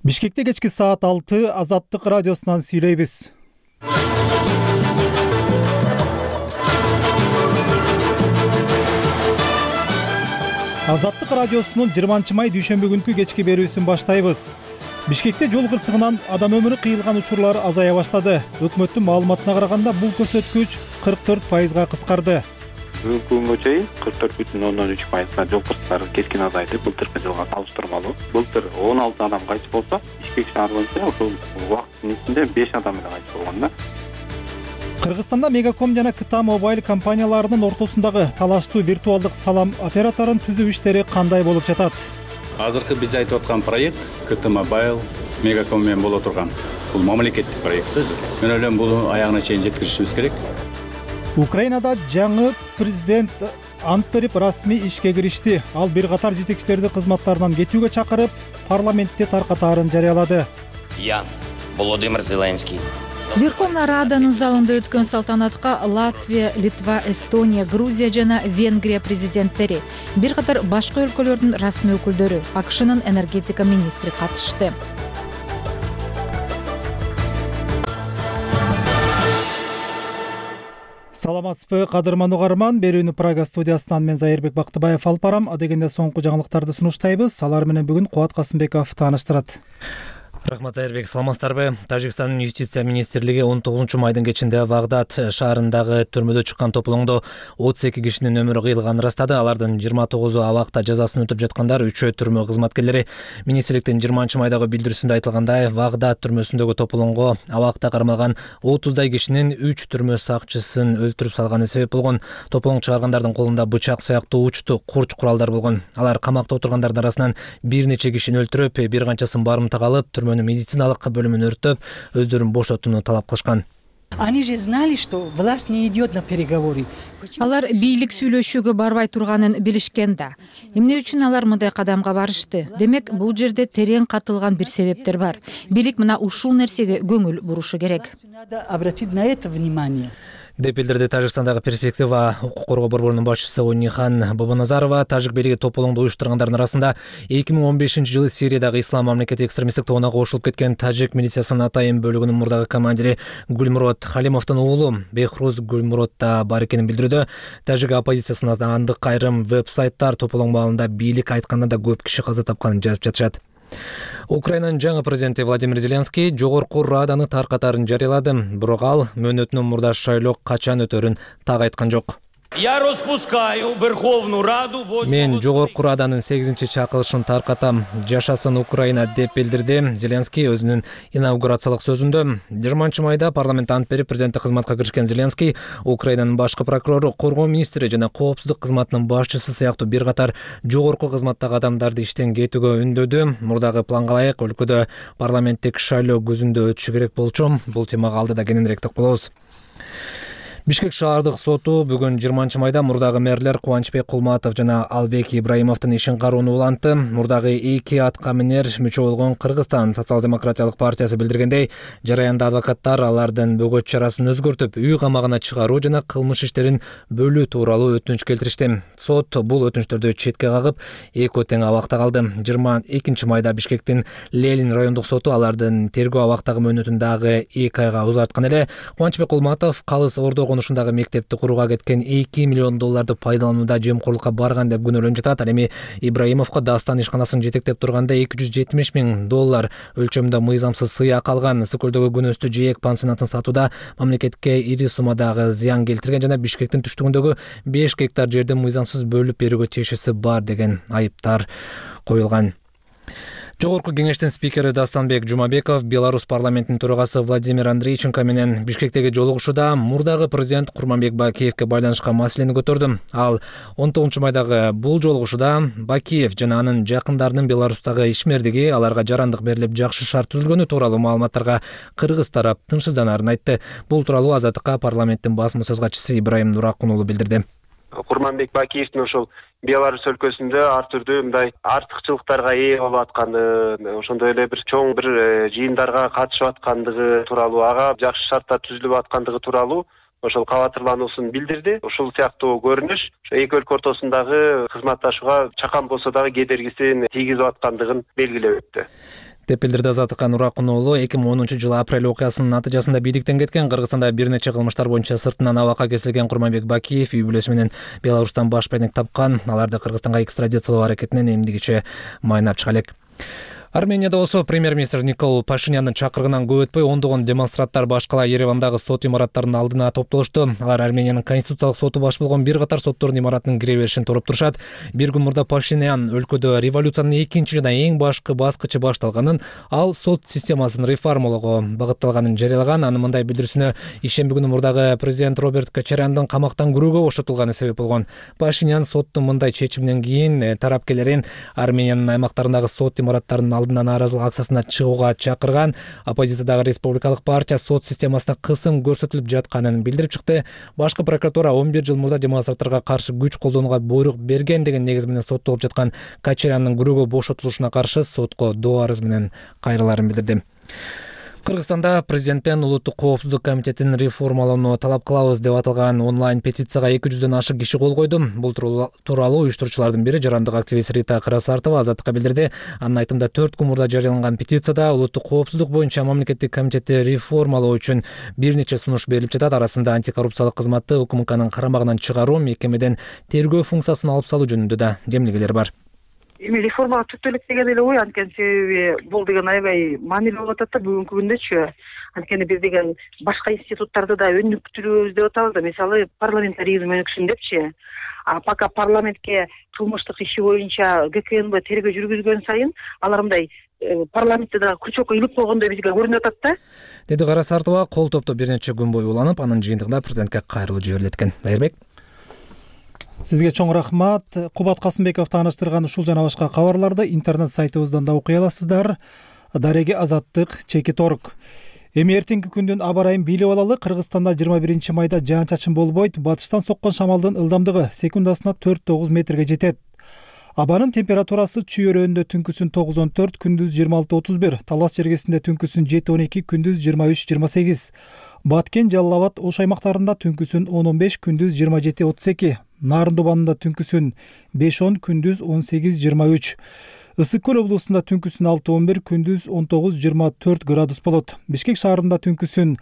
Бишкекте кечки саат 6 Азаттык радиосунан сүйлөйбүз. Азаттык радиосунун 20 май дүйшөмбү күнкү кечки берүүсүн баштайбыз. Бишкекте жол кырсыгынан адам өмүрү кыйылган учурлар азая баштады. Өкмөттүн маалыматына караганда бул көрсөткүч 44%га кыскарды. Бүгүнкү күнгө чейин 44,3%га жол кырсыктары кескин азайды. Былтыркы жылга салыштырмалуу. Былтыр 16 адам кайтып болсо, Бишкек шаар боюнча ошол убакыттын ичинде 5 адам эле кайтып болгон да. Кыргызстанда Мегаком жана КТА Мобайл компанияларынын ортосундагы талаштуу виртуалдык салам операторун түзүү иштери кандай болуп жатат? Азыркы биз айтып аткан проект КТА Мобайл Мегаком менен боло турган. Бул мамлекеттик проект өзү. Мен ойлойм бул аягына чейин жеткиришибиз керек. Украинада жаңы президент ант берип расмий ишке киришти. Ал бир катар жетекчилерди кызматтарынан кетүүгө чакырып, парламентте таркатаарын жарыялады. Я, Володимир Зеленский. Верховная Раданын залында өткөн салтанатка Латвия, Литва, Эстония, Грузия жана Венгрия президенттери, бир катар башка өлкөлөрдүн расмий өкүлдөрү, АКШнын энергетика министри катышты. Саламатсызбы, кадырман угарман. Берүүнү Прага студиясынан мен Зайырбек Бактыбаев алып барам. Адегенде соңку жаңылыктарды сунуштайбыз. Алар менен бүгүн Кубат Касымбеков тааныштырат. Рахмат Айырбек, саламатсыздарбы? Тажикстандын юстиция министрлиги 19 майдын кечинде Вагдат шаарындагы түрмөдө чыккан тополоңдо 32 кишинин өмүрү кыйылганын ырастады. Алардын 29-у абакта жазасын өтүп жаткандар, 3-өө түрмө кызматкерлери. Министрликтин 20 майдагы билдирүүсүндө айтылгандай, Вагдат түрмөсүндөгү тополоңго абакта кармалган 30дай кишинин 3 түрмө сакчысын өлтүрүп салганы себеп болгон. Тополоң чыгаргандардын колунда бычак сыяктуу учту курч куралдар болгон. Алар камакта отургандардын арасынан бир нече кишини өлтүрүп, бир канчасын барымтага алып, түрмөнүн медициналык бөлүмүн өрттөп, өздөрүн бошотууну талап кылышкан. Они же знали, что власть не идет на переговоры. Алар бийлик сүйлөшүүгө барбай турганын билишкен да. Эмне үчүн алар мындай кадамга барышты? Демек, бул жерде терең катылган бир себептер бар. Бийлик мына ушул нерсеге көңүл бурушу керек. Надо обратить на это внимание. Деп билдирди Тажикстандагы перспектива укук коргоо борборунун башчысы Унихан Бабаназарова. Тажик бийлиги тополоңду уюштургандардын арасында 2015-жылы Сириядагы ислам мамлекети экстремисттик тобуна кошулуп кеткен тажик милициясынын атайын бөлүгүнүн мурдагы командири Гүлмурод Халимовдун уулу Бехруз Гүлмурод да бар экенин билдирүүдө. Тажик оппозициясына андык айрым веб-сайттар тополоң маалында бийлик айтканда да көп киши каза тапканын жазып жатышат. Украинанын жаңы президенти Владимир Зеленский жогорку Раданы таркатаарын жарыялады. Бирок ал мөөнөтүнөн мурда шайлоо качан өтөрүн так айткан жок. Я распускаю Верховную Раду. Мен жогорку Раданын 8-чакырылышын таркатам. Жашасын Украина, деп билдирди Зеленский өзүнүн инаугурациялык сөзүндө. 20 майда парламент ант берип президенттик кызматка киришкен Зеленский Украинанын башкы прокурору, коргоо министри жана коопсуздук кызматынын башчысы сыяктуу бир катар жогорку кызматтагы адамдарды иштен кетүүгө үндөдү. Мурдагы планга ылайык өлкөдө парламенттик шайлоо күзүндө өтүшү керек болчу. Бул темага алдыда кененирээк токтолобуз. Бишкек шаардык соту бүгүн 20 майда мурдагы мэрлер Кубанычбек Кулматов жана Албек Ибраимовдун ишин кароону улантты. Мурдагы эки атка минер мүчө болгон Кыргызстан социал-демократиялык партиясы билдиргендей, жараянда адвокаттар алардын бөгөт чарасын өзгөртүп, үй камагына чыгаруу жана кылмыш иштерин бөлүү тууралуу өтүнүч келтиришти. Сот бул өтүнүчтөрдү четке кагып, экөө тең абакта калды. 22 майда Бишкектин Ленин райондук соту алардын тергөө абактагы мөөнөтүн дагы 2 айга узарткан эле. Кубанычбек Кулматов Калыс Ордо ушундагы мектепти курууга кеткен 2 миллион долларды пайдаланууда жемкорлукка барган деп күнөөлөнүп жатат. Ал эми Ибраимовго Дастан ишканасын жетектеп турганда 270 000 доллар өлчөмүндө мыйзамсыз сыйак алган, Ысыкөлдөгү күнөстүү жээк пансионатын сатууда мамлекетке ири суммадагы зыян келтирген жана Бишкектин түштүгүндөгү 5 гектар жерди мыйзамсыз бөлүп берүүгө тиешеси бар деген айыптар коюлган. Жогорку кеңештин спикери Дастанбек Жумабеков Беларусь парламентинин төрагасы Владимир Андрейченко менен Бишкектеги жолугушууда мурдагы президент Курманбек Бакиевке байланышкан маселени көтөрдү. Ал 19 майдагы бул жолугушууда Бакиев жана анын жакындарынын Беларустагы ишмердиги, аларга жарандык берилип жакшы шарт түзүлгөнү тууралуу маалыматтарга кыргыз тарап тынчсызданаарын айтты. Бул тууралуу Азаттыкка парламенттин басма сөз катчысы Ибраим Нуракун уулу билдирди. Курманбек Бакиевдин ошол Беларусь өлкөсүндө ар түрдүү мындай артыкчылыктарга ээ болуп аткандыгы, ошондой эле бир чоң бир жыйындарга катышып аткандыгы тууралуу, ага жакшы шарттар түзүлүп аткандыгы тууралуу ошол кабатырлануусун билдирди. Ушул сыяктуу көрүнүш эки өлкө ортосундагы кызматташууга чакан болсо дагы кедергисин тийгизип аткандыгын белгилеп өттү. деп билдирди Азаттыкка Нуракун уулу. 2010-жылы апрель окуясынын натыйжасында бийликтен кеткен Кыргызстанда бир нече кылмыштар боюнча сыртынан абакка кесилген Курманбек Бакиев үй бүлөсү менен Беларустан баш бейнек тапкан. Аларды Кыргызстанга экстрадициялоо аракетинен эмдигиче майнап чыга элек. Арменияда болсо премьер-министр Никол Пашиняндын чакырыгынан көп өтпөй ондогон демонстранттар баш кала Еревандагы сот имараттарынын алдына топтолушту. Алар Армениянын конституциялык соту баш болгон бир катар соттордун имаратынын кире беришин тороп турушат. Бир күн мурда Пашинян өлкөдө революциянын экинчи жана эң башкы баскычы башталганын, ал сот системасын реформалоого багытталганын жарыялаган. Анын мындай билдирүүсүнө ишемби күнү мурдагы президент Роберт Кочаряндын камактан күрөөгө бошотулганы себеп болгон. Пашинян соттун мындай чечиминен кийин тарапкерлерин Армениянын аймактарындагы сот имараттарынын алдына нааразылык акциясына чыгууга чакырган. Оппозициядагы Республикалык партия сот системасына кысым көрсөтүлүп жатканын билдирип чыкты. Башкы прокуратура 11 жыл мурда демонстранттарга каршы күч колдонууга буйрук берген деген негиз менен соттолуп жаткан Кочаряндын күрөөгө бошотулушуна каршы сотко доо арыз менен кайрылаарын билдирди. Кыргызстанда президенттен Улуттук коопсуздук комитетин реформалоону талап кылабыз деп аталган онлайн петицияга 200дөн ашык киши кол койду. Бул тууралуу уюштуруучулардын бири жарандык активист Рита Карасартова Азаттыкка билдирди. Анын айтымында 4 күн мурда жарыяланган петицияда улуттук коопсуздук боюнча мамлекеттик комитетти реформалоо үчүн бир нече сунуш берилип жатат. Арасында антикоррупциялык кызматты УКМКнын карамагынан чыгаруу, мекемеден тергөө функциясын алып салуу жөнүндө да кемилгелер бар. Эми реформага түптө элек деген эле ой, анткени себеби бул деген аябай маанилүү болуп атат да бүгүнкү күндөчү. Анткени биз деген башка институттарды да өнүктүрүүбүз деп атабыз да, мисалы парламентаризм өнүксүн депчи. Пока парламентке кылмыштык иши боюнча ГКНБ тергөө жүргүзгөн сайын алар мындай парламентте да күчөккө илип койгондой бизге көрүнүп атат да. Деди Карасартова. Кол топтоо бир нече күн бою уланып, анын жыйынтыгында президентке кайрылуу жиберилет экен. Дайырбек. Сизге чоң рахмат. Кубат Касымбеков тааныштырган ушул жана башка кабарларды интернет сайтыбыздан да окуй аласыздар. Дареги Азаттык.org. Эми эртеңки күндүн аба ырайын билип алалы. Кыргызстанда 21 майда жаан-чачын болбойт. Батыштан соккон шамалдын ылдамдыгы секундасына 4-9 метрге жетет. Абанын температурасы Чүй өрөөнүндө түнкүсүн 9-14, күндүз 26-31, Талас жергесинде түнкүсүн 7-12, күндүз 23-28. Баткен, Жалал Абад, Ош аймактарында түнкүсүн 10-15, күндүз 27-32. Нарын Дубанында түнкүсүн 5-10, күндүз 18-23. Ысык көл облусунда түнкүсүн 6-11, күндүз 19-24 градус болот. Бишкек шаарында түнкүсүн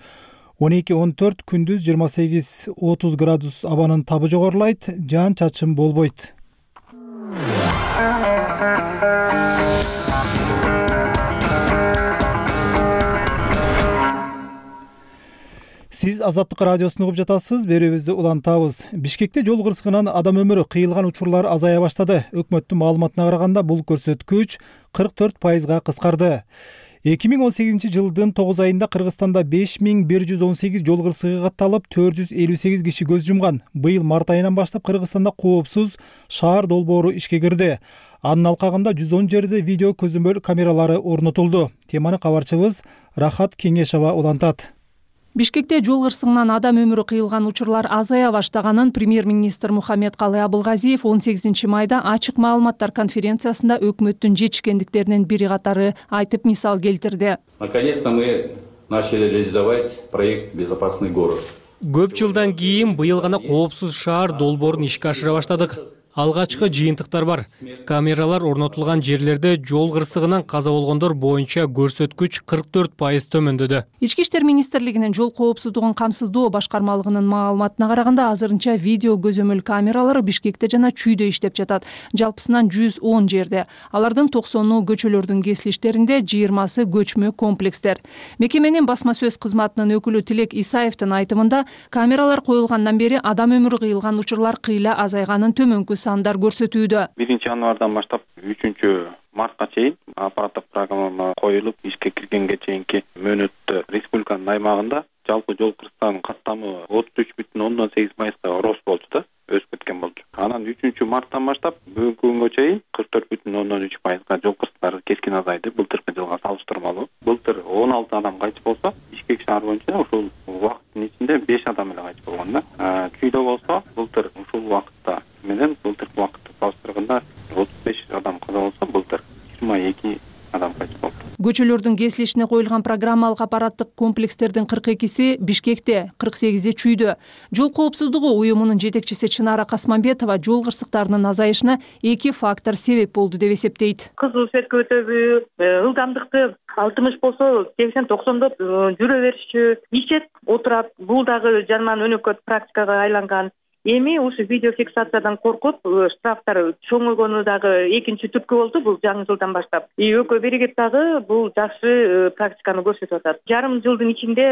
12-14, күндүз 28-30 градус абанын табы жогорулайт, жаан-чачын болбойт. Сиз Азаттык радиосун угуп жатасыз, берүүбүздү улантабыз. Бишкекте жол кырсыгынан адам өмүрү кыйылган учурлар азая баштады. Өкмөттүн маалыматына караганда бул көрсөткүч 44%га кыскарды. 2018 жылдын 9 айында Кыргызстанда 5118 жол кырсыгы катталып, 458 киши көз жумган. Быйыл март айынан баштап Кыргызстанда коопсуз шаар долбоору ишке кирди. Анын алкагында 110 жерде видео көзөмөл камералары орнотулду. Теманы кабарчыбыз Рахат Кеңешова улантат. Бишкекте жол кырсыгынан адам өмүрү кыйылган учурлар азая баштаганын премьер-министр Мухаммедкалый Абылгазиев 18 майда ачык маалыматтар конференциясында өкмөттүн жетишкендиктеринин бири катары айтып мисал келтирди. Наконец-то мы начали реализовать проект «Безопасный город». Көп жылдан кийин быйыл гана коопсуз шаар долбоорун ишке ашыра баштадык. Алгачкы жыйынтыктар бар. Камералар орнотулган жерлерде жол кырсыгынан каза болгондор боюнча көрсөткүч 44% төмөндөдү. Ички иштер министрлигинин жол коопсуздугун камсыздоо башкармалыгынын маалыматына караганда азырынча видео көзөмөл камералары Бишкекте жана Чүйдө иштеп жатат. Жалпысынан 110 жерде. Алардын 90-ы көчөлөрдүн кесилиштеринде, 20-сы көчмө комплекстер. Мекеменин басма сөз кызматынын өкүлү Тилек Исаевдин айтымында, камералар коюлгандан бери адам өмүрү кыйылган учурлар кыйла азайганын төмөнкү сандар көрсөтүүдө. 1 январдан баштап 3 мартка чейин аппараттык программа коюлуп ишке киргенге чейинки мөөнөттө республиканын аймагында жалпы жол кырсыгынын каттамы 33,8%га рост болду да, өсүп кеткен болду. Анан 3 марттан баштап бүгүнкү күнгө чейин 44,3%га жол кырсыктары кескин азайды былтыркы жылга салыштырмалуу. Былтыр 16 адам кайтып болсо, Бишкек шаар боюнча ушул убакыттын ичинде 5 адам эле кайтып болгон да. Чүйдө болсо, былтыр ушул убакытта менен былтыркы убакытты салыштырганда 35 адам каза болсо, былтыр 22 адам кайтып болду. Көчөлөрдүн кесилишине коюлган программалык аппараттык комплекстердин 42си Бишкекте, 48и Чүйдө. Жол коопсуздугу уюмунун жетекчиси Чынара Касманбетова жол кырсыктарынын азайышына 2 фактор себеп болду деп эсептейт. Кызыл светке өтөбү, ылдамдыкты 60 болсо 80-90 жүрө беришчү, ичет отурат. Бул дагы жаман өнөкөт практикага айланган. Эми ушу видеофиксациядан коркуп, штрафтар чоңойгону дагы экинчи түрткү болду бул жаңы жылдан баштап. ÖKө биригип дагы бул жакшы практиканы көрсөтүп атат. Жарым жылдын ичинде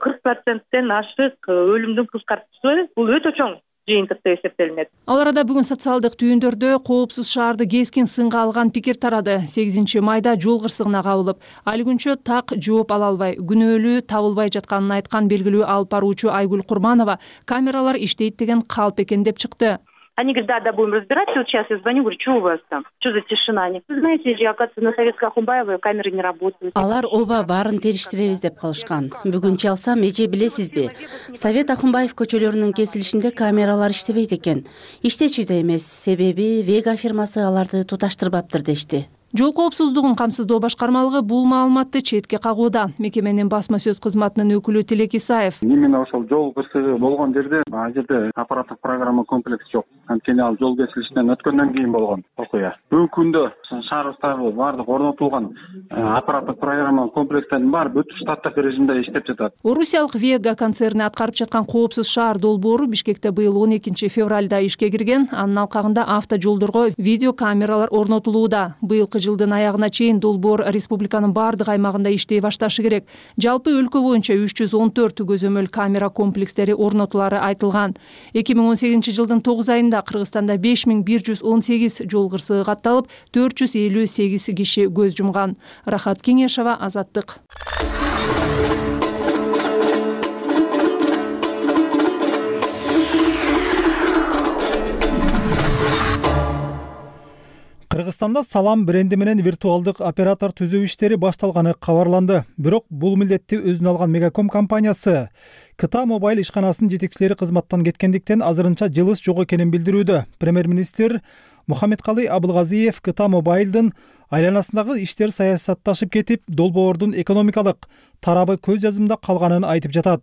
40%тен ашык өлүмдүн кыскартуусу бул өтө чоң жыйынтык деп эсептелинет. Ал арада бүгүн социалдык түйүндөрдө коопсуз шаарды кескин сынга алган пикир тарады. 8 майда жол кырсыгына кабылып, али күнчө так жооп ала албай, күнөөлүү табылбай жатканын айткан белгилүү алып баруучу Айгүл Курманова камералар иштейт деген калп экен деп чыкты. Они говорят, да, будем разбираться. Вот сейчас я звоню, говорю, что у вас там? Что за тишина? Вы знаете, оказывается, на Советской Ахунбаевой камеры не работают. Алар оба баарын териштиребиз деп калышкан. Бүгүн чалсам, эже билесизби? Совет Ахунбаев көчөлөрүнүн кесилишинде камералар иштебейт экен. Иштечү да эмес, себеби Вега фирмасы аларды туташтырбаптыр дешти. Жол коопсуздугун камсыздоо башкармалыгы бул маалыматты четке кагууда. Мекеменин басма сөз кызматынын өкүлү Тилек Исаев. Именно ошол жол кырсыгы болгон жерде ал жерде аппараттык программа комплекс жок. Анткени ал жол кесилишинен өткөндөн кийин болгон окуя. Бүгүнкү күндө шаарыбыздагы баардык орнотулган аппараттык программа комплекстердин баары бүт штаттык режимде иштеп жатат. Орусиялык Вега концерни аткарып жаткан коопсуз шаар долбоору Бишкекте быйыл 12 февралда ишке кирген. Анын алкагында автожолдорго видеокамералар орнотулууда. Быйылкы жылдын аягына чейин долбоор республиканын баардык аймагында иштей башташы керек. Жалпы өлкө боюнча 314 көзөмөл камера комплекстери орнотулары айтылган. 2018 жылдын 9 айында Кыргызстанда 5118 жол кырсыгы катталып, 458 киши көз жумган. Рахат Кеңешова, Азаттык. Кыргызстанда Салам бренди менен виртуалдык оператор түзүү иштери башталганы кабарланды. Бирок бул милдетти өзүнө алган Мегаком компаниясы КТА Мобайл ишканасынын жетекчилери кызматтан кеткендиктен азырынча жылыш жок экенин билдирүүдө. Премьер-министр Мухаммедкалый Абылгазиев КТА Мобайлдын айланасындагы иштер саясатташып кетип, долбоордун экономикалык тарабы көз жазымда калганын айтып жатат.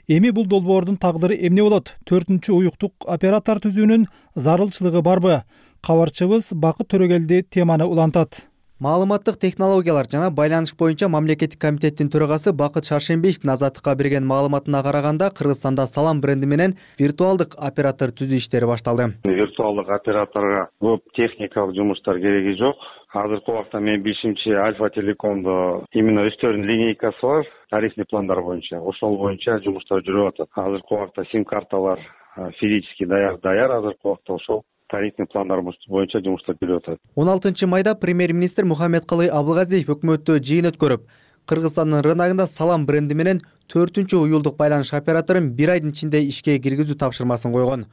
Эми бул долбоордун тагдыры эмне болот? 4-чү уюктук оператор түзүүнүн зарылчылыгы барбы? Кабарчыбыз Бакыт Төрөгелди теманы улантат. Маалыматтык технологиялар жана байланыш боюнча мамлекеттик комитеттин төрагасы Бакыт Шаршембиевдин Азаттыкка берген маалыматына караганда, Кыргызстанда Салам бренди менен виртуалдык оператор түзүү иштери башталды. Виртуалдык операторго көп техникалык жумуштар кереги жок. Азыркы убакта менин билишимче Альфа Телекомдо именно өздөрүнүн линейкасы бар, тарифный пландар боюнча. Ошол боюнча жумуштар жүрүп атат. Азыркы убакта сим-карталар физически даяр азыркы убакта ошол тарифный пландар боюнча жумуштар жүрүп атат. 16 майда премьер-министр Мухаммедкалый Абылгазиев өкмөттө жыйын өткөрүп, Кыргызстандын рыногунда Салам бренди менен 4-чү уюлдук байланыш операторун 1 айдын ичинде ишке киргизүү тапшырмасын койгон.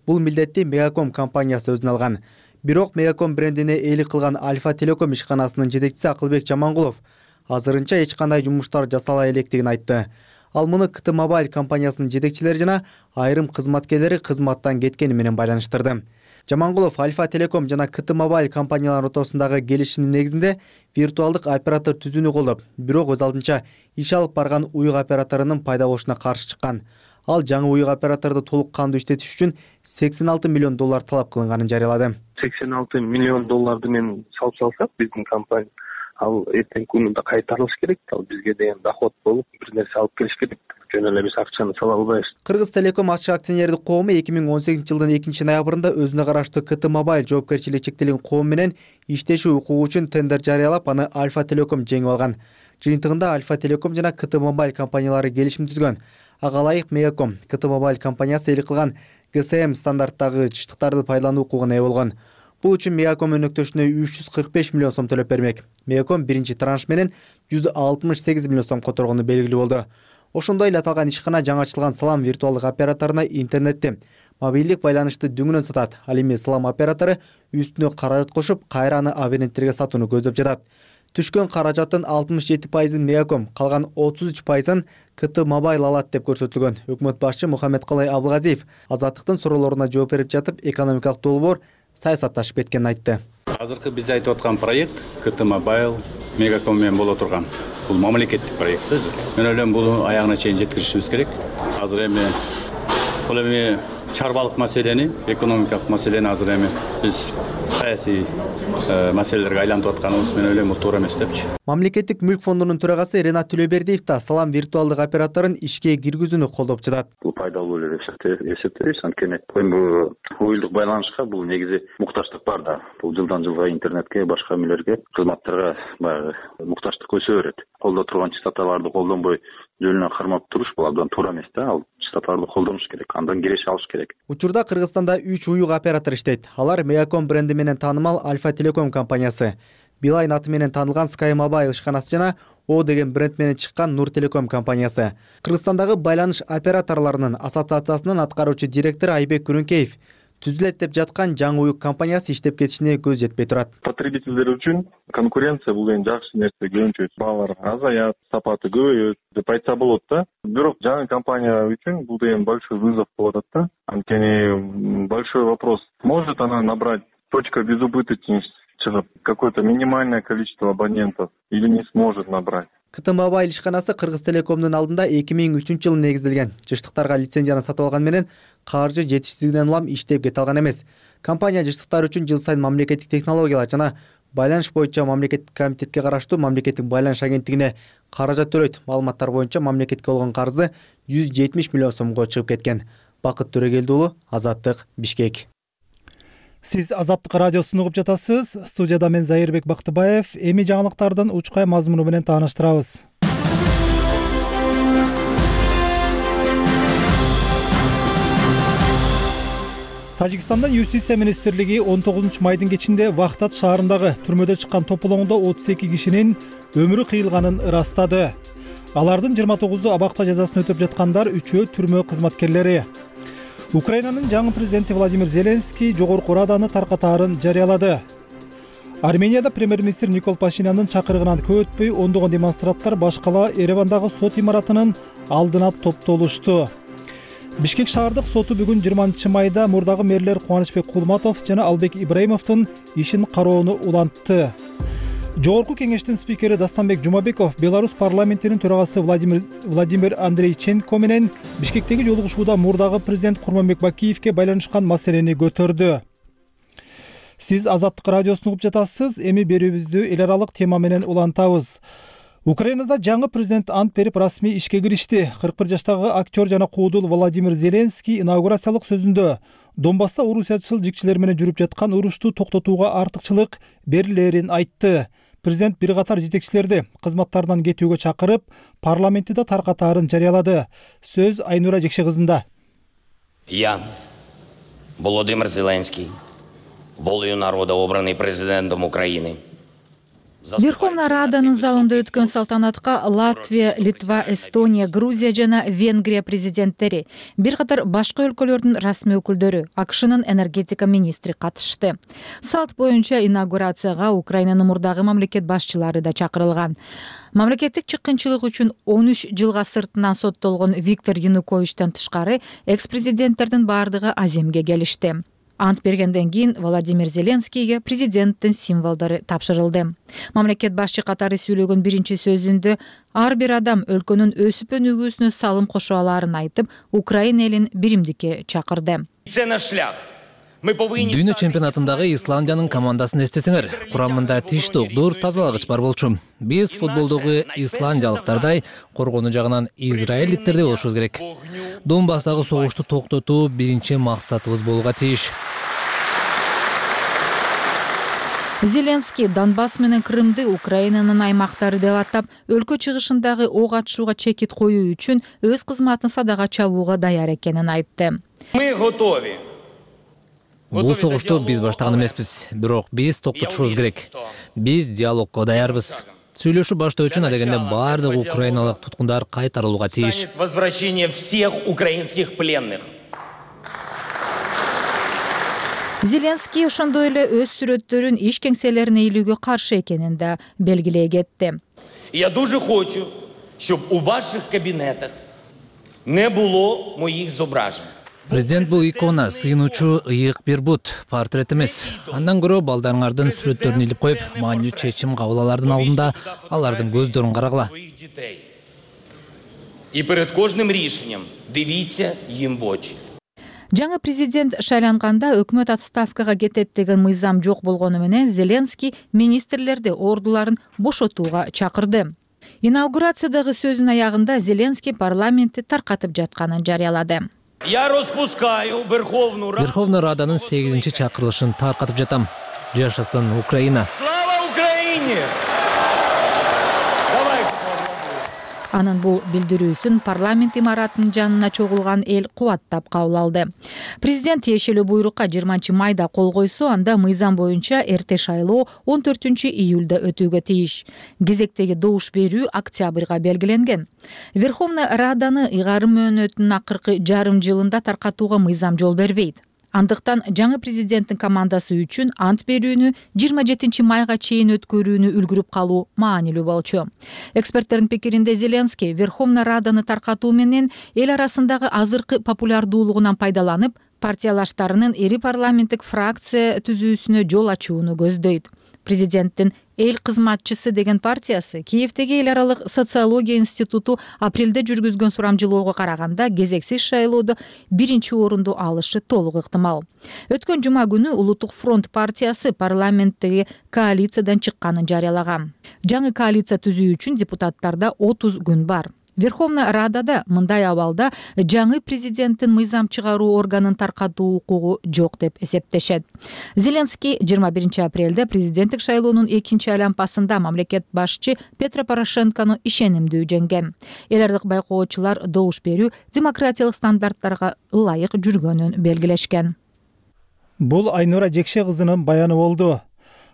Бул милдетти Мегаком компаниясы өзүнө алган. Бирок Мегаком брендине ээлик кылган Альфа Телеком ишканасынын жетекчиси Акылбек Жамангулов азырынча эч кандай жумуштар жасала электигин айтты. Ал муну КТ Мобайл компаниясынын жетекчилери жана айрым кызматкерлери кызматтан кеткени менен байланыштырды. Жамангулов Альфа Телеком жана КТ Мобайл компанияларынын ортосундагы келишимдин негизинде виртуалдык оператор түзүүнү колдоп, бирок өз алдынча иш алып барган уюк операторунун пайда болушуна каршы чыккан. Ал жаңы уюк операторду толук кандуу иштетиш үчүн $86 миллион талап кылынганын жарыялады. $86 миллион менен салып салсак, биздин компания ал эртеңки күнүндө кайтарылыш керек. Ал бизге деген доход болуп, бир нерсе алып келиш керек. Жөн эле биз акчаны сала албайбыз. Кыргыз Телеком ачык акционердик коому 2018 жылдын 2-ноябрында өзүнө караштуу КТ Мобайл жоопкерчилиги чектелген коом менен иштешүү укугу үчүн тендер жарыялап, аны Альфа Телеком жеңип алган. Жыйынтыгында Альфа Телеком жана КТ Мобайл компаниялары келишим түзгөн. Ага ылайык Мегаком КТ Мобайл компаниясы ээлик кылган ГСМ стандарттагы жыштыктарды пайдалануу укугуна ээ болгон. Бул үчүн Мегаком өнөктөшүнө $345 миллион сом төлөп бермек. Мегаком биринчи транш менен $168 миллион сом которгону белгилүү болду. Ошондой эле аталган ишкана жаңы ачылган Салам виртуалдык операторуна интернетти, мобилдик байланышты дүңүнөн сатат. Ал эми Салам оператору үстүнө каражат кошуп, кайра аны абоненттерге сатууну көздөп жатат. Түшкөн каражаттын 67%-ын Мегаком, калган 33%-ын КТ Мобайл алат деп көрсөтүлгөн. Өкмөт башчы Мухаммедкалый Абылгазиев Азаттыктын суроолоруна жооп берип жатып, экономикалык долбоор саясатташып кеткенин айтты. Азыркы биз айтып аткан проект КТ Mobile Мегаком менен боло турган. Бул мамлекеттик проект өзү. Мен ойлойм бул аягына чейин жеткиришибиз керек. Азыр эми чарбалык маселени, экономикалык маселени азыр эми биз саясий маселелерге айлантып атканыбыз мен ойлойм бул туура эмес депчи. Мамлекеттик мүлк фондунун төрагасы Ренат Төлөбердиев да Салам виртуалдык операторун ишке киргизүүнү колдоп жатат. Бул пайдалуу эле деп эсептейбиз. Анткени бул уюлдук байланышка бул негизи муктаждык бар да. Бул жылдан жылга интернетке, башка эмелерге, кызматтарга баягы муктаждык өсө берет. Колдо турган частоталарды колдонбой жөнүнө кармап туруш бул абдан туура эмес да. Ал частоталарды колдонуш керек, андан киреше алыш керек. Учурда Кыргызстанда 3 уюк оператор иштейт. Алар Мегаком бренди менен таанымал Альфа Телеком компаниясы, Билайн аты менен таанылган Sky Mobile ишканасы жана О деген бренд менен чыккан Нур Телеком компаниясы. Кыргызстандагы байланыш операторлорунун ассоциациясынын аткаруучу директору Айбек Күрүнкеев түзүлөт деп жаткан жаңы уюк компаниясы иштеп кетишине көз жетпей турат. Потребительдер үчүн конкуренция бул эң жакшы нерсе. Көбүнчө баалар азаят, сапаты көбөйөт деп айтса болот да. Бирок жаңы компания үчүн бул деген большой вызов болот да. Анткени большой вопрос. Может она набрать точка безубыточности, какое-то минимальное количество абонентов или не сможет набрать. КТ Mobile ишканасы Кыргыз Телекомдун алдында 2003-жылы негизделген. Жыштыктарга лицензияны сатып алган менен каржы жетишсиздигинен улам иштеп кете алган эмес. Компания жыштыктар үчүн жыл сайын мамлекеттик технологиялар жана байланыш боюнча мамлекеттик комитетке караштуу мамлекеттик байланыш агенттигине каражат төлөйт. Маалыматтар боюнча мамлекетке болгон карызы 170 миллион сомго чыгып кеткен. Бакыт Төрөгелди уулу, Азаттык, Бишкек. Сиз Азаттык радиосун угуп жатасыз. Студияда мен Зайырбек Бактыбаев. Эми жаңылыктардын учкай мазмуну менен тааныштырабыз. Тажикстандын Юстиция министрлиги 19 майдын кечинде Вахтат шаарындагы түрмөдө чыккан тополоңдо 32 кишинин өмүрү кыйылганын ырастады. Алардын 29-у абакта жазасын өтөп жаткандар, 3-өө түрмө кызматкерлери. Украинанын жаңы президенти Владимир Зеленский жогорку раданы таркатаарын жарыялады. Арменияда премьер-министр Никол Пашинянын чакырыгынан көп өтпөй ондогон демонстранттар баш кала Еревандагы сот имаратынын алдына топтолушту. Бишкек шаардык соту бүгүн 20 майда мурдагы мэрлер Кубанычбек Кулматов жана Албек Ибраимовдун ишин кароону улантты. Жогорку кеңештин спикери Дастанбек Жумабеков Беларусь парламентинин төрагасы Владимир Андрейченко менен Бишкектеги жолугушууда мурдагы президент Курманбек Бакиевке байланышкан маселени көтөрдү. Сиз Азаттык радиосун угуп жатасыз. Эми берүүбүздү эл аралык тема менен улантабыз. Украинада жаңы президент ант берип расмий ишке киришти. 41 жаштагы актер жана куудул Владимир Зеленский инаугурациялык сөзүндө Донбасста орусиячыл жикчилер менен жүрүп жаткан урушту токтотууга артыкчылык берилерин айтты. Президент бир катар жетекчилерди кызматтарынан кетүүгө чакырып, парламентти да таркатаарын жарыялады. Сөз Айнура Жекше кызында. Я, Володимир Зеленский, волею народа обранный президентом Украины. Верховная Раданын залында өткөн салтанатка Латвия, Литва, Эстония, Грузия жана Венгрия президенттери, бир катар башка өлкөлөрдүн расмий өкүлдөрү, АКШнын энергетика министри катышты. Салт боюнча инаугурацияга Украинанын мурдагы мамлекет башчылары да чакырылган. Мамлекеттик чыккынчылык үчүн 13 жылга сыртынан соттолгон Виктор Януковичтен тышкары экс-президенттердин бардыгы Аземге келишти. Ант бергенден кийин Владимир Зеленскийге президенттин символдору тапшырылды. Мамлекет башчы катары сүйлөгөн биринчи сөзүндө ар бир адам өлкөнүн өсүп өнүгүүсүнө салым кошо аларын айтып, Украина элин биримдикке чакырды. Дүйнө чемпионатындагы Исландиянын командасын эстесеңер, курамында тиш тогдур, тазалагыч бар болчу. Биз футболдогу исландиялыктардай коргонуу жагынан израилдиктердей болушубуз керек. Донбасстагы согушту токтотуу биринчи максатыбыз болууга тийиш. Зеленский Донбасс менен Крымды Украинанын аймактары деп атап, өлкө чыгышындагы ок атышууга чекит коюу үчүн өз кызматын садага чабууга даяр экенин айтты. Мы готовы. Бул согушту биз баштаган эмеспиз, бирок биз токтотушубуз керек. Биз диалогко даярбыз. Сүйлөшүү баштоо үчүн адегенде бардык украиналык туткундар кайтарылууга тийиш. Возвращение всех украинских пленных. Зеленский ошондой эле өз сүрөттөрүн иш кеңселерине илүүгө каршы экенин да белгилей кетти. Я дуже хочу, щоб у ваших кабінетах не було моїх зображень. Президент бул икона, сыйынуучу ыйык бир бут, портрет эмес. Андан көрө балдарыңардын сүрөттөрүн илип коюп, маанилүү чечим кабыл алардын алдында алардын көздөрүн карагыла. И перед кожним рішенням дивіться їм в очі. Жаңы президент шайланганда өкмөт отставкага кетет деген мыйзам жок болгону менен Зеленский министрлерди ордуларын бошотууга чакырды. Инаугурациядагы сөзүнүн аягында Зеленский парламентти таркатып жатканын жарыялады. Я розпускаю Верховный Раданын 8-чи чакырылышын таркатып жатам. Жашасын Украина. Слава Украине! Анын бул билдирүүсүн парламент имаратынын жанына чогулган эл кубаттап кабыл алды. Президент тиешелүү буйрукка 20-майда кол койсо, анда мыйзам боюнча эрте шайлоо 14-июлда өтүүгө тийиш. Кезектеги добуш берүү октябрга белгиленген. Верховный Раданы ыйгарым мөөнөтүнүн акыркы жарым жылында таркатууга мыйзам жол бербейт. Андыктан жаңы президенттин командасы үчүн ант берүүнү 27-майга чейин өткөрүүнү үлгүрүп калуу маанилүү болчу. Эксперттердин пикиринде Зеленский Верховный Раданы таркатуу менен эл арасындагы азыркы популярдуулугунан пайдаланып, партиялаштарынын ири парламенттик фракция түзүүсүнө жол ачууну көздөйт. Президенттин Эл кызматчысы деген партиясы Киевдеги эл аралык социология институту апрелде жүргүзгөн сурамжылоого караганда кезексиз шайлоодо 1-орунду алышы толук ыктымал. Өткөн жума күнү Улуттук фронт партиясы парламенттеги коалициядан чыкканын жарыялаган. Жаңы коалиция түзүү үчүн депутаттарда 30 күн бар. Верховный Радада мындай абалда жаңы президенттин мыйзам чыгаруу органын таркатуу укугу жок деп эсептешет. Зеленский 21 апрелде президенттик шайлоонун 2-чи айлампасында мамлекет башчы Петро Порошенкону ишенимдүү жеңген. Эл аралык байкоочулар добуш берүү демократиялык стандарттарга ылайык жүргөнүн белгилешкен. Бул Айнура Жекше кызынын баяны болду.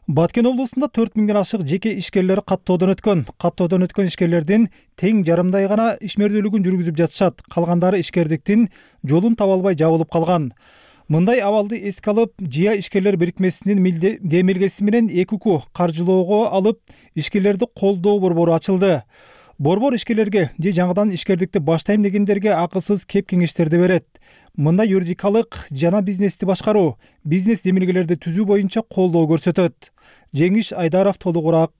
Баткен облусунда 4000ден ашык жеке ишкерлер каттоодон өткөн ишкерлердин тең жарымдай гана ишмердүүлүгүн жүргүзүп жатышат. Калгандары ишкердиктин жолун таба албай жабылып калган. Мындай абалды эске алып, Жия ишкерлер бирикмесинин демилгеси менен ЭКУ каржылоого алып, ишкерлерди колдоо борбору ачылды. Борбор ишкерлерге же жаңыдан ишкердикти баштайм дегендерге акысыз кеп кеңештерди берет. Мында юридикалык жана бизнести башкаруу, бизнес демилгелерди түзүү боюнча колдоо көрсөтөт. Жеңиш Айдаров толугураак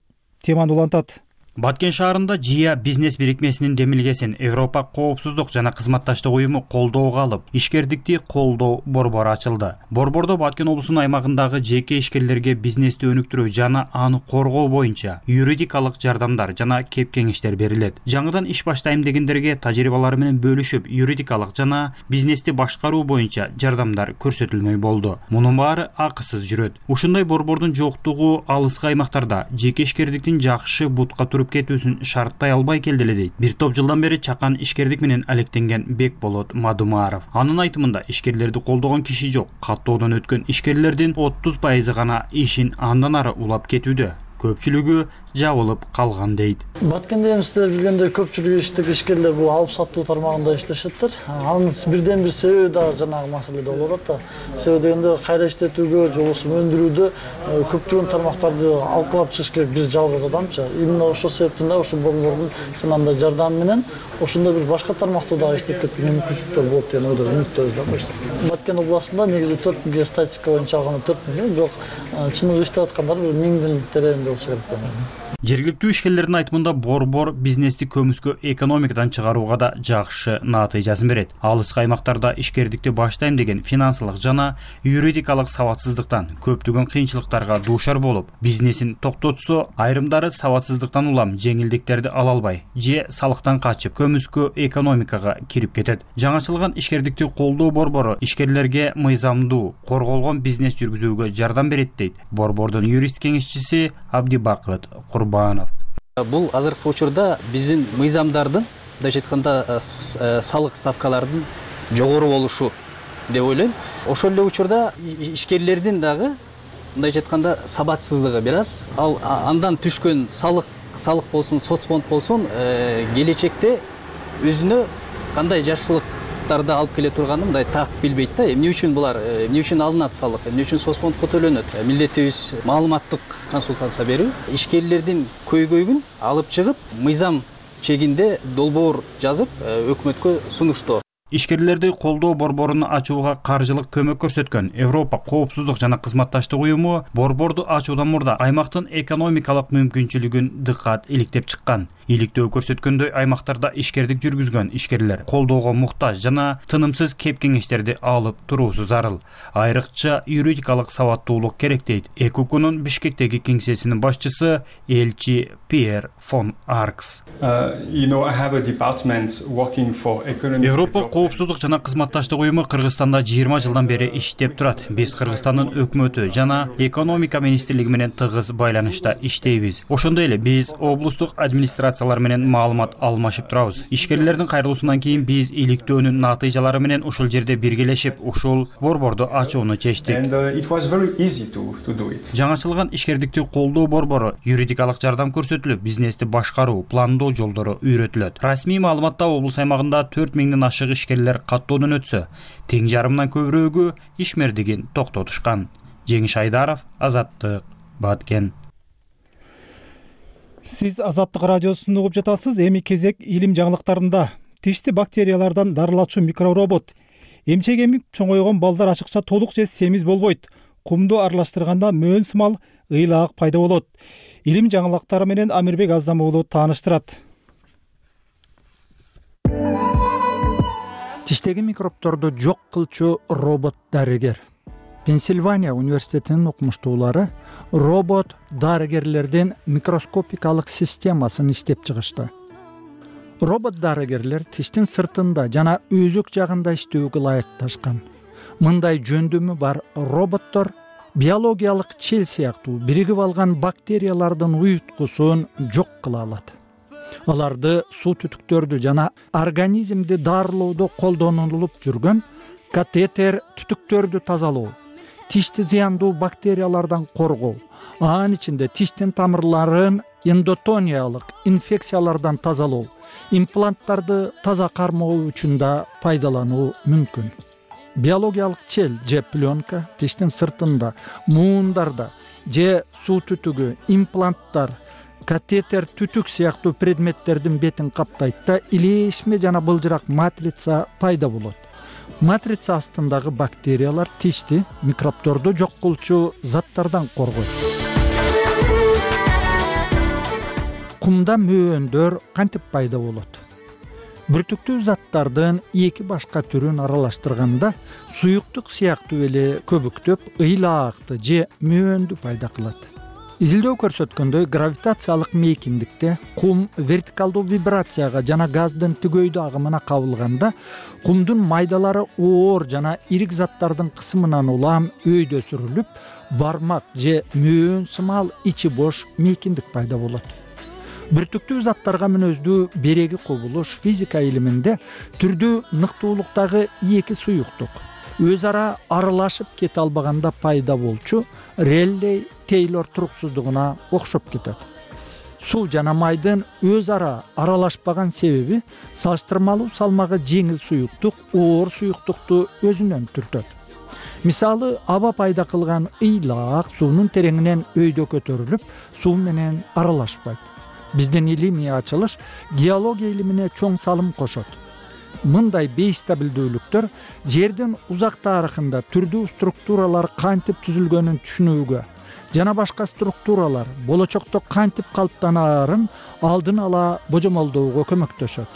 теманы улантат. Баткен шаарында Жия бизнес бирикмесинин демилгесин Европа коопсуздук жана кызматташтык уюму колдоого алып, ишкердикти колдоо борбору ачылды. Борбордо Баткен облусунун аймагындагы жеке ишкерлерге бизнести өнүктүрүү жана аны коргоо боюнча юридикалык жардамдар жана кеп кеңештер берилет. Жаңыдан иш баштайм дегендерге тажрыйбалары менен бөлүшүп, юридикалык жана бизнести башкаруу боюнча жардамдар көрсөтүлмөй болду. Мунун баары акысыз жүрөт. Ушундай борбордун жоктугу алыскы аймактарда жеке ишкердиктин жакшы бутка кетүүсүн шарттай албай келди эле дейт. Бир топ жылдан бери чакан ишкердик менен алектенген Бекболот Мадумаров. Анын айтымында ишкерлерди колдогон киши жок. Каттоодон өткөн ишкерлердин 30% гана ишин андан ары улап кетүүдө. Көпчүлүгү жабылып калган дейт. Баткенде сиздер билгендей көпчүлүк иштик ишкерлер бул алып сатуу тармагында иштешеттир. Анын бирден бир себеби дагы жанагы маселеде болуп атат да. Себеби дегенде кайра иштетүүгө, жобосун өндүрүүдө көптөгөн тармактарды алкалап чыгыш керек бир жалгыз адамчы. Именно ошол себептен да ошол борбордун жанагындай жардамы менен ошондой бир башка тармакта дагы иштеп кеткенге мүмкүнчүлүктөр болот деген ойдо үмүттөбүз да койсок. Баткен областында негизи 4000 статистика боюнча алганда 4000, бирок чыныгы иштеп аткандар 1000дин тереңинде болсо керек. Жергиликтүү ишкерлердин айтымында борбор бизнести көмүскө экономикадан чыгарууга да жакшы натыйжасын берет. Алыскы аймактарда ишкердикти баштайм деген финансылык жана юридикалык сабатсыздыктан көптөгөн кыйынчылыктарга дуушар болуп, бизнесин токтотсо, айрымдары сабатсыздыктан улам жеңилдиктерди ала албай, же салыктан качып, көмүскө экономикага кирип кетет. Жаңачылган ишкердикти колдоо борбору ишкерлерге мыйзамдуу, корголгон бизнес жүргүзүүгө жардам берет дейт борбордун юрист кеңешчиси Абдибакыт Бул азыркы учурда биздин мыйзамдардын, мындайча айтканда, салык ставкалардын жогору болушу деп ойлойм. Ошол эле учурда ишкерлердин дагы, мындайча айтканда, сабатсыздыгы бир аз. Ал андан түшкөн салык болсун, соцфонд болсун, келечекте өзүнө кандай жакшылыктарды алып келе турганын мындай так билбейт да. Эмне үчүн булар, эмне үчүн алынат салык, эмне үчүн соцфондко төлөнөт? Милдетибиз маалыматтык консультация берүү, ишкерлердин көйгөйүн алып чыгып, мыйзам чегинде долбоор жазып, өкмөткө сунуштоо. Ишкерлерди колдоо борборун ачууга каржылык көмөк көрсөткөн Европа коопсуздук жана кызматташтык уюму борборду ачуудан мурда аймактын экономикалык мүмкүнчүлүгүн дыккат иликтеп чыккан. Иликтөө көрсөткөндөй аймактарда ишкердик жүргүзгөн ишкерлер колдоого муктаж жана тынымсыз кеп кеңештерди алып туруусу зарыл. Айрыкча юридикалык сабаттуулук керек дейт ЭКУКунун Бишкектеги кеңсесинин башчысы элчи Пьер фон Аркс. Европа коопсуздук жана кызматташтык уюму Кыргызстанда 20 жылдан бери иштеп турат. Биз Кыргызстандын өкмөтү жана экономика министрлиги менен тыгыз байланышта иштейбиз. Ошондой эле биз облустук администрациялар менен маалымат алмашып турабыз. Ишкерлердин кайрылуусунан кийин биз иликтөөнүн натыйжалары менен ушул жерде биргелешип, ушул борборду ачууну чечтик. Жаңачылган ишкердикти колдоо борбору юридикалык жардам көрсөтүлүп, бизнести башкаруу, пландоо жолдору үйрөтүлөт. Расмий маалыматта облус аймагында 4000ден ашык ишкерлер каттоодон өтсө, тең жарымдан көбүрөөгү ишмердигин токтотушкан. Жеңиш Айдаров, Азаттык, Баткен. Сиз Азаттык радиосун угуп жатасыз. Эми кезек илим жаңылыктарында. Тишти бактериялардан дарылачу микроробот. Эмчек эмип чоңойгон балдар ашыкча толук же семиз болбойт. Кумду аралаштырганда мөөн сымал ыйлаак пайда болот. Илим жаңылыктары менен Амирбек Азам уулу тааныштырат. Тиштеги микробторду жок кылчу робот дарыгер. Пенсильвания университетинин окумуштуулары робот дарыгерлердин микроскопикалык системасын иштеп чыгышты. Робот дарыгерлер тиштин сыртында жана өзөк жагында иштөөгө ылайыкташкан. Мындай жөндөмү бар роботтор биологиялык чел сыяктуу биригип алган бактериялардын уюткусун жок кыла алат. Аларды суу түтүктөрдү жана организмди дарылоодо колдонулуп жүргөн катетер түтүктөрдү тазалоо, тишти зыяндуу бактериялардан коргоо, анын ичинде тиштин тамырларын эндотониялык инфекциялардан тазалоо, импланттарды таза кармоо үчүн да пайдалануу мүмкүн. Биологиялык чел же пленка тиштин сыртында, муундарда же суу түтүгү, импланттар, катетер түтүк сыяктуу предметтердин бетин каптайт да илешме жана былжырак матрица пайда болот. Матрица астындагы бактериялар тишти микробторду жок кылчу заттардан коргойт. Кумда мөөндөр кантип пайда болот? Бүртүктүү заттардын эки башка түрүн аралаштырганда суюктук сыяктуу эле көбүктөп, ыйлаакты же мөөндү пайда кылат. Изилдөө көрсөткөндөй, гравитациялык мейкиндикте кум вертикалдуу вибрацияга жана газдын тигөйдүү агымына кабылганда кумдун майдалары оор жана ирик заттардын кысымынан улам өйдө сүрүлүп, бармак же мөөн сымал ичи бош мейкиндик пайда болот. Бүртүктүү заттарга мүнөздүү береги кубулуш физика илиминде түрдүү ныктуулуктагы эки суюктук өз ара аралашып кете албаганда пайда болчу Реллей Тейлор туруксуздугуна окшоп кетет. Суу жана майдын өз ара аралашпаган себеби салыштырмалуу салмагы жеңил суюктук оор суюктукту өзүнөн түртөт. Мисалы, аба пайда кылган ыйлаак суунун тереңинен өйдө көтөрүлүп, суу менен аралашпайт. Биздин илимий ачылыш геология илимине чоң салым кошот. Мындай бейстабилдүүлүктөр жердин узак тарыхында түрдүү структуралар кантип түзүлгөнүн түшүнүүгө жана башка структуралар болочокто кантип калыптанаарын алдын ала божомолдоого көмөктөшөт.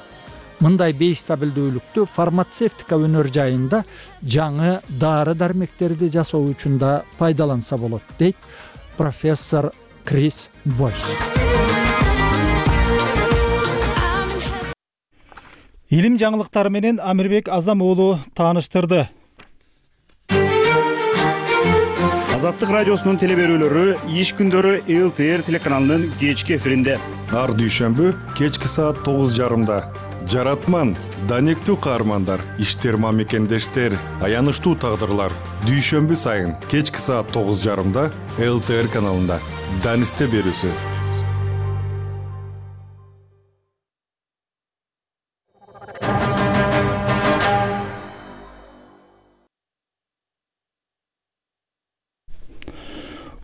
Мындай бейстабилдүүлүктү фармацевтика өнөр жайында жаңы дары-дармектерди жасоо үчүн да пайдаланса болот, дейт профессор Крис Бойс. Илим жаңылыктары менен Амирбек Азам уулу тааныштырды. Азаттык радиосунун телеберүүлөрү иш күндөрү ЛТР телеканалынын кечки эфиринде. Ар дүйшөмбү кечки саат 9:30. Жаратман, данектүү каармандар, иштер мамекендештер, аянычтуу тагдырлар. Дүйшөмбү сайын кечки саат 9:30 ЛТР каналында. Данисте берүүсү.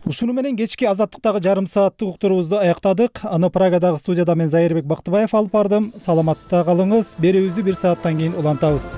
Ушуну менен кечки азаттыктагы жарым сааттык уктуруубузду аяктадык. Аны Прагадагы студияда мен Зайырбек Бактыбаев алып бардым. Саламатта калыңыз. Берүүбүздү 1 сааттан кийин улантабыз.